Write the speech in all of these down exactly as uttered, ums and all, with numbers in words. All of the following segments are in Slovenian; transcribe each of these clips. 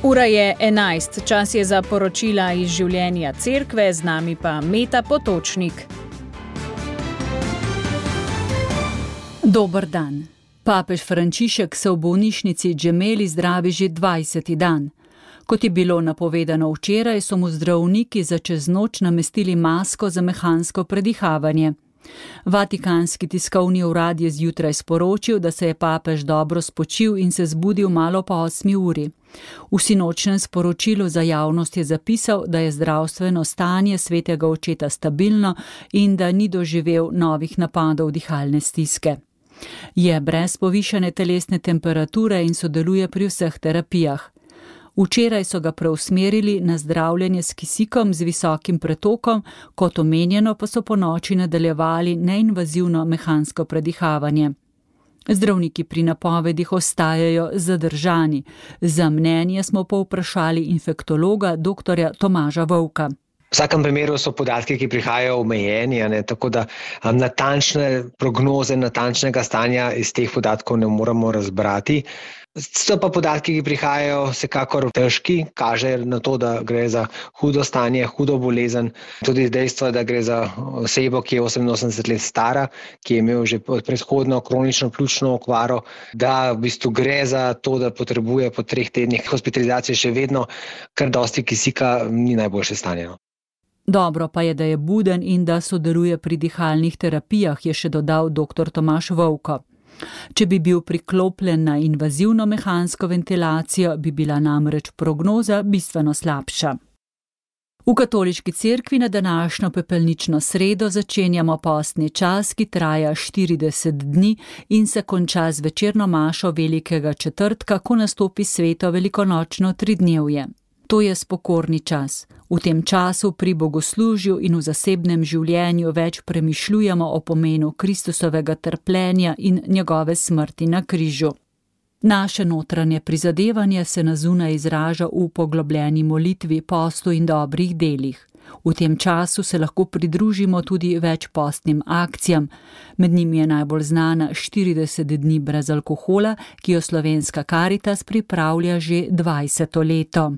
Ura je enajst, čas je za poročila iz življenja cerkve, z nami pa Meta Potočnik. Dober dan. Papež Frančišek se v bolnišnici Gemelli zdravi že dvajseti dan. Kot je bilo napovedano včeraj, so mu zdravniki za čez noč namestili masko za mehansko predihavanje. Vatikanski tiskovni urad je zjutraj sporočil, da se je papež dobro spočil in se zbudil malo po osmi uri. V sinočnem sporočilu za javnost je zapisal, da je zdravstveno stanje svetega očeta stabilno in da ni doživel novih napadov dihalne stiske. Je brez povišane telesne temperature in sodeluje pri vseh terapijah. Včeraj so ga preusmerili na zdravljenje s kisikom z visokim pretokom, kot omenjeno pa so po noči nadaljevali neinvazivno mehansko predihavanje. Zdravniki pri napovedih ostajajo zadržani. Za mnenje smo povprašali infektologa doktorja Tomaža Vovka. V vsakem primeru so podatki, ki prihajajo omejeni, ne, tako da um, natančne prognoze, natančnega stanja iz teh podatkov ne moremo razbrati. So pa podatki, ki prihajajo vsekakor težki, kaže na to, da gre za hudo stanje, hudo bolezen. Tudi dejstvo, da gre za osebo, ki je oseminosemdeset let stara, ki je imel že predhodno kronično pljučno okvaro, da v bistvu gre za to, da potrebuje po treh tednih hospitalizacije še vedno kar dosti kisika, ni najboljše stanje. Dobro pa je, da je buden in da sodeluje pri dihalnih terapijah, je še dodal doktor Tomaž Vovko. Če bi bil priklopljen na invazivno mehansko ventilacijo, bi bila namreč prognoza bistveno slabša. V katoliški cerkvi na današnjo pepelnično sredo začenjamo postni čas, ki traja štirideset dni in se konča z večerno mašo velikega četrtka, ko nastopi sveto velikonočno tridnevje. To je spokorni čas. V tem času pri bogoslužju in v zasebnem življenju več premišljujemo o pomenu Kristusovega trpljenja in njegove smrti na križu. Naše notranje prizadevanje se na zunaj izraža v poglobljeni molitvi, postu in dobrih delih. V tem času se lahko pridružimo tudi več postnim akcijam. Med njimi je najbolj znana štirideset dni brez alkohola, ki jo Slovenska Karitas pripravlja že dvajseto leto.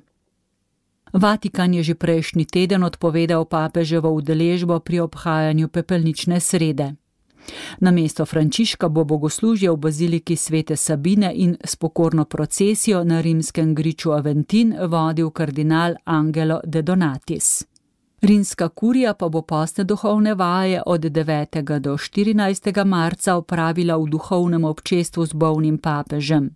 Vatikan je že prejšnji teden odpovedal papeževo udeležbo pri obhajanju pepelnične srede. Namesto Frančiška bo bogoslužje v baziliki Svete Sabine in s pokorno procesijo na rimskem griču Aventin vodil kardinal Angelo de Donatis. Rimska kurija pa bo postne duhovne vaje od devetega do štirinajstega marca opravila v duhovnem občestvu z bolnim papežem.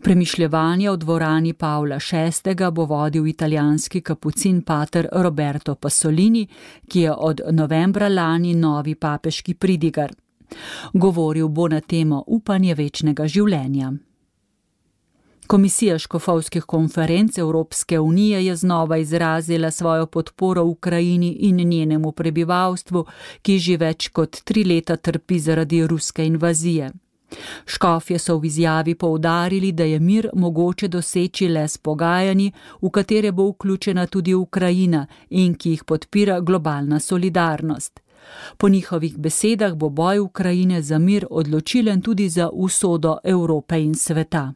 Premišljevanje v dvorani Pavla šestega bo vodil italijanski kapucin pater Roberto Pasolini, ki je od novembra lani novi papeški pridigar. Govoril bo na temo upanje večnega življenja. Komisija škofovskih konferenc Evropske unije je znova izrazila svojo podporo Ukrajini in njenemu prebivalstvu, ki že več kot tri leta trpi zaradi ruske invazije. Škofje so v izjavi poudarili, da je mir mogoče doseči le s pogajanji, v katere bo vključena tudi Ukrajina in ki jih podpira globalna solidarnost. Po njihovih besedah bo boj Ukrajine za mir odločilen tudi za usodo Evrope in sveta.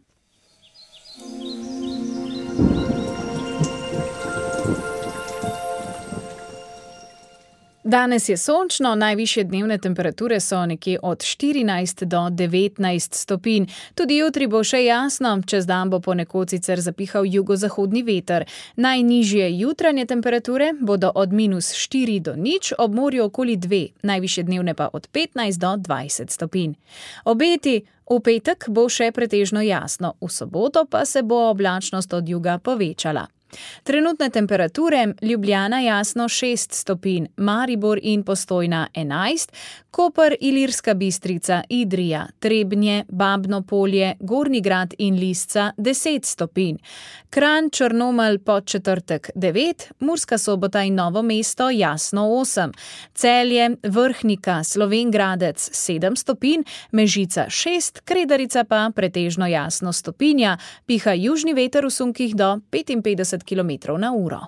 Danes je sončno, najvišje dnevne temperature so nekje od štirinajst do devetnajst stopinj. Tudi jutri bo še jasno, čez dan bo ponekod sicer zapihal jugozahodni veter. Najnižje jutranje temperature bodo od minus štiri do nič, ob morju okoli dve, najvišje dnevne pa od petnajst do dvajset stopinj. Obeti: v petek bo še pretežno jasno, v soboto pa se bo oblačnost od juga povečala. Trenutne temperature: Ljubljana jasno šest stopinj, Maribor in Postojna enajst, Koper, Ilirska Bistrica, Idrija, Trebnje, Babno Polje, Gornji Grad in Lisca deset stopinj, Kranj, Črnomelj, Podčetrtek devet, Murska Sobota in Novo mesto jasno osem, Celje, Vrhnika, Slovenj Gradec sedem stopinj, Mežica šest, Kredarica pa pretežno jasno stopinja, piha južni veter v sunkih do petinpetdeset kilometrov na uro.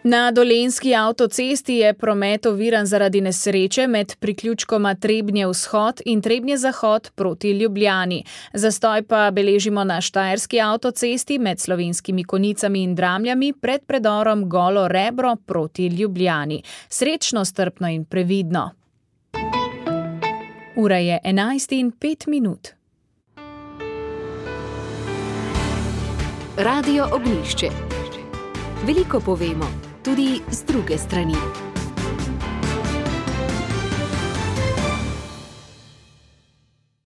Na Dolenjski avtocesti je promet oviran zaradi nesreče med priključkoma Trebnje vzhod in Trebnje zahod proti Ljubljani. Zastoj pa beležimo na Štajerski avtocesti med Slovenskimi Konjicami in Dramljami pred predorom Golo Rebro proti Ljubljani. Srečno, strpno in previdno. Ura je enajst in pet minut. Radio Ognjišče. Veliko povemo, tudi z druge strani.